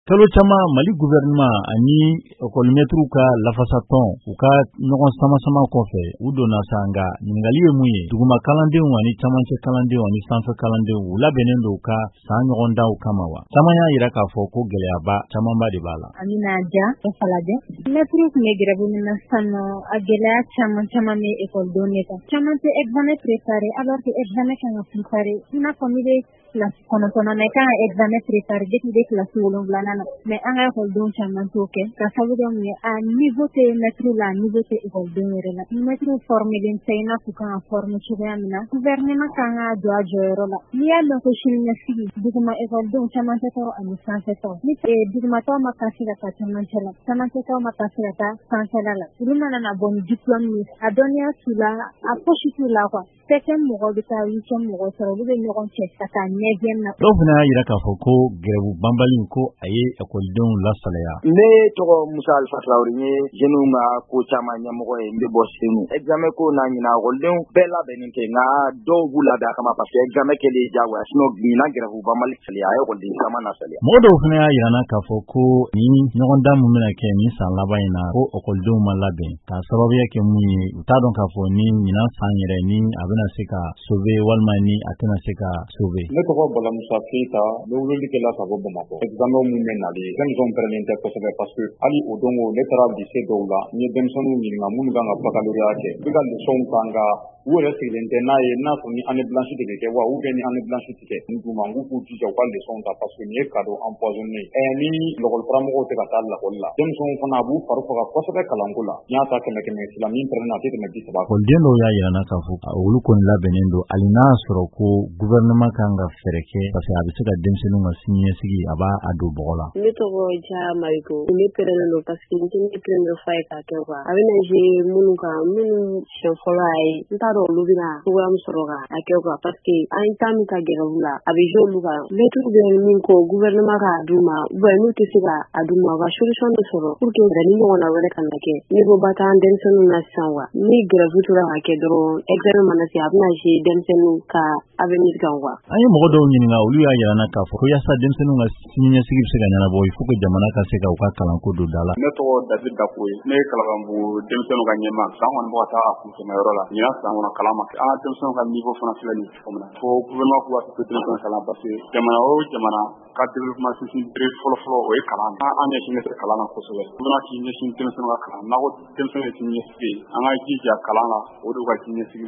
Kalo caman, Mali gouvernement ani ekɔlimɛtiriw ka lafasatɔn, u ka ɲɔgɔn sama-sama kɔfɛ, u donna sa. Nka ɲininkali ye mun ye? Duguma kalandenw ani camancɛ kalandenw ani sanfɛ kalandenw, u labɛnnen don ka san ɲɔgɔndanw kama wa? Caman y'a yira k'a fɔ ko gɛlɛyaba camanba de b'a la. Amina Ja Falajɛ. Mɛtiriw tun bɛ grève min na sisan nɔ, a gɛlɛya caman caman bɛ ekɔlidenw de kan. Caman tɛ examen préparé, alors que examen kan ka préparé. I n'a fɔ n'i bɛ kilasi 9nan na, i kan ka examen préparé depuis i bɛ kilasi 7nan na. Mais an ka ekɔlidenw caman t'o kɛ, ka sababu kɛ mun ye? A niveau tɛ mɛtiriw la, a niveau tɛ ekɔlidenw yɛrɛ la. Mɛtiriw formelen tɛ i n'a fɔ u kan ka former cogoya min na. Gouvernement kan ka jɔ a jɔyɔrɔ la. N'i y'a mɛn ko siniɲɛsigi, duguma ekɔlidenw, camancɛtaw ani sanfɛtaw, ni dugumatɔw ma passer ka taa camancɛ la, camancɛtaw ma passer ka taa sanfɛla la, olu mana na bɔ ni diplôme ye, a dɔnniya t'u la, a fosi t'u la quoi. Septième mɔgɔw bɛ taa huitième mɔgɔw sɔrɔ, olu bɛ ɲɔgɔn cɛ ka taa neuvième na. Dɔw fana y'a yira k'a fɔ ko grève banbali ko a ye ekɔlidenw lasalaya. Ne tɔgɔ Musa Alifa Tarawele, n ye jeunes ka ko caman ɲɛmɔgɔ ye, n bɛ bɔ Senu. Examen ko n'a ɲina, ekɔlidenw bɛɛ labɛnnen tɛ, nka dɔw b'u labɛn a kama, parce que examen kɛlen diyagoya. Sinon ɲinan grève banbali a ye ekɔliden caman lasaliya. Mɔgɔ dɔw fana y'a yira n na k'a fɔ ko ni ɲɔgɔndan mun bɛna kɛ nin san laban in na, ko ekɔlidenw ma labɛn, k'a sababuya kɛ mun ye? U t'a dɔn k'a fɔ ni ɲinan san yɛrɛ ni a bɛna se ka sauver walima ni a tɛna se ka sauver. Ne tɔgɔ Bala Musa Keyita, n bɛ weleli kɛ la ka bɔ Bamakɔ. Examen mun bɛ nalen, denmisɛnw pɛrɛnnen tɛ kosɛbɛ, parce que hali o don ne taara lycée dɔw la, n ye denmisɛnninw ɲininka minnu kan ka baccalauréat kɛ, u bɛ ka leçon ta, nka u yɛrɛ sigilen tɛ n'a ye n'a sɔrɔ ni année blanche de bɛ kɛ wa ou bien ni année blanche tɛ kɛ. N d'u ma n k'u k'u jija u ka leçon ta, parce que nin ye cadeau empoisonné ye. Ni lakɔli karamɔgɔw tɛ ka taa lakɔli la, denmisɛnw fana a b'u fari faga kosɛbɛ kalanko la. N y'a ta kɛmɛ kɛmɛ sila, min pɛrɛnna, a tɛ tɛmɛ 30. Ekɔliden dɔw y'a yira n na k'a fɔ olu kɔni labɛnnen don, hali n'a y'a sɔrɔ ko gouvernement kan ka fɛɛrɛ kɛ, parce que a bɛ se ka denmisɛnninw ka siniɲɛsigi, a b'a a don bɔgɔ la. Ne tɔgɔ Ja Mariko. Ne pɛrɛnnen don parce que n tɛ ne première fois ye k'a kɛ quoi. A bɛna jouer minnu kan, minnu siɲɛ fɔlɔ y'a ye, n t'a dɔn olu bɛna cogoya min sɔrɔ ka a kɛ quoi, parce que an ye temps min ta grève la, a bɛ jouer olu kan. Mɛtiriw bɛ min kɔ, gouvernement k'a d'u ma, ou bien n'u tɛ se ka a d'u ma, u ka solution de sɔrɔ pour que ni ɲɔgɔnna wɛrɛ kana kɛ. Niveau ba t'an denmisɛnninw na sisan quoi. Ni grève tora ka kɛ dɔrɔn, examen mana se, a bɛna jouer denmisɛnninw ka avenir kan quoi. An ye mɔgɔ dɔw ɲininka, olu y'a yira n na k'a fɔ ko yaasa denmisɛnninw ka siniɲɛsigi bɛ se ka ɲɛnabɔ, il faut que jamana ka se ka u ka kalanko don da la. Ne tɔgɔ David Dako ye, ne ye Kalabanbugu denmisɛnninw ka ɲɛma. San kɔni bɛ ka taa a kuncɛmayɔrɔ la. Ɲinan san kɔnɔ, kalan ma kɛ. An ka denmisɛnninw ka niveau fana filɛ nin ye cogo min na, fo gouvernement k'u hakili to denmisɛnninw kalan, parce que jamana o jamana ka développement sinsin bere fɔlɔ-fɔlɔ, o ye kalan. An ɲɛsinnen tɛ kalan na kosɛbɛ. Gouvernement k'i ɲɛsin denmisɛnninw ka kalan. N'a ko denmisɛnnin ye siniɲɛsigi ye, an ka jija kalan na, o de ka siniɲɛsigi.